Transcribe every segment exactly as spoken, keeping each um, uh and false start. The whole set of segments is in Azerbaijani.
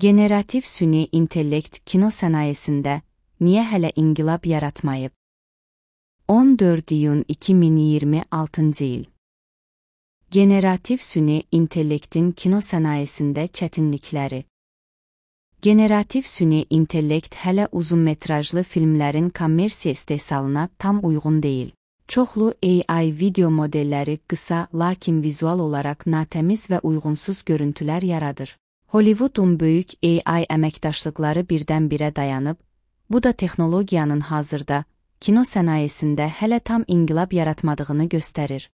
Generativ süni intellekt kino sənayesində niyə hələ inqilab yaratmayıb? on dörd iyun iki min iyirmi altıncı il. Generativ süni intellektin kino sənayesində çətinlikləri. Generativ süni intellekt hələ uzunmetrajlı filmlərin kommersiya istehsalına tam uyğun deyil. Çoxlu A I video modelləri qısa, lakin vizual olaraq natəmiz və uyğunsuz görüntülər yaradır. Hollywoodun böyük A I əməkdaşlıqları birdən-birə dayanıb, bu da texnologiyanın hazırda kino sənayesində hələ tam inqilab yaratmadığını göstərir.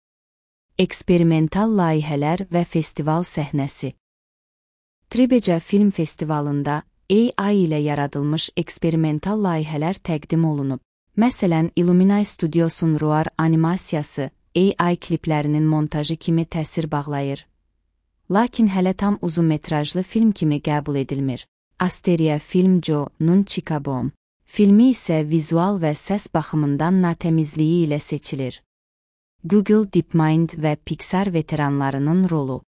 Eksperimental layihələr və festival səhnəsi. Tribeca Film Festivalında A I ilə yaradılmış eksperimental layihələr təqdim olunub. Məsələn, Illuminai Studiosun Roar animasiyası A I kliplərinin montajı kimi təsir bağlayır. Lakin hələ tam uzunmetrajlı film kimi qəbul edilmir. Asteria Film Joe-nun Chicago filmi isə vizual və səs baxımından natəmizliyi ilə seçilir. Google DeepMind və Pixar veteranlarının rolu.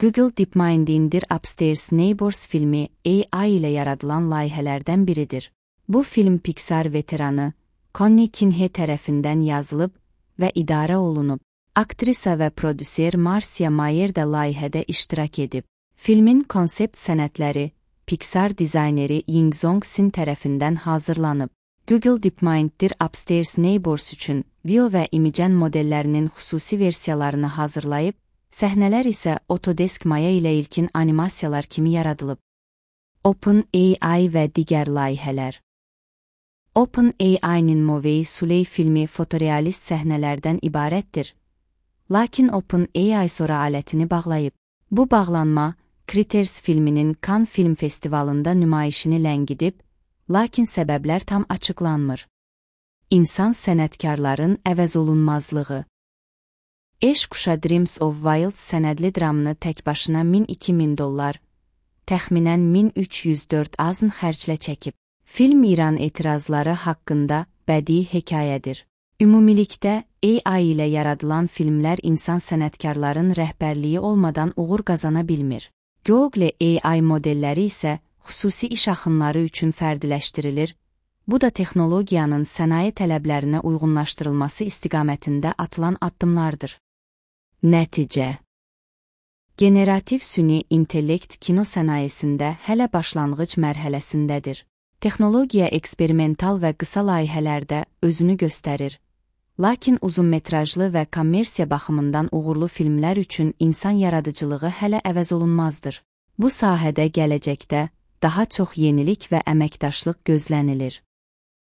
Google DeepMind indir Upstairs Neighbors filmi A I ilə yaradılan layihələrdən biridir. Bu film Pixar veteranı Connie Kinhe tərəfindən yazılıb və idarə olunub. Aktrisa və prodüser Marcia Mayer də layihədə iştirak edib. Filmin konsept sənədləri Pixar dizayneri Yingzong Sin tərəfindən hazırlanıb. Google DeepMind'dir Upstairs Neighbors üçün Veo və Imagen modellərinin xüsusi versiyalarını hazırlayıb, səhnələr isə Autodesk Maya ilə ilkin animasiyalar kimi yaradılıb. OpenAI və digər layihələr. OpenAI'nin Movei Suley filmi fotorealist səhnələrdən ibarətdir. Lakin OpenAI sonra alətini bağlayıb. Bu bağlanma, Critters filminin Cannes Film Festivalında nümayişini ləngidib, lakin səbəblər tam açıqlanmır. İnsan sənətkarların əvəzolunmazlığı. Eş Kuşa Dreams of Wild sənədli dramını tək başına min iki min dollar, təxminən min üç yüz dörd azn xərclə çəkib. Film İran etirazları haqqında bədii hekayədir. Ümumilikdə, A I ilə yaradılan filmlər insan sənətkarların rəhbərliyi olmadan uğur qazana bilmir. Google A I modelləri isə xüsusi iş axınları üçün fərdiləşdirilir, bu da texnologiyanın sənaye tələblərinə uyğunlaşdırılması istiqamətində atılan addımlardır. Nəticə. Generativ süni intellekt kino sənayesində hələ başlanğıc mərhələsindədir. Texnologiya eksperimental və qısa layihələrdə özünü göstərir. Lakin uzunmetrajlı və kommersiya baxımından uğurlu filmlər üçün insan yaradıcılığı hələ əvəzolunmazdır. Bu sahədə gələcəkdə daha çox yenilik və əməkdaşlıq gözlənilir.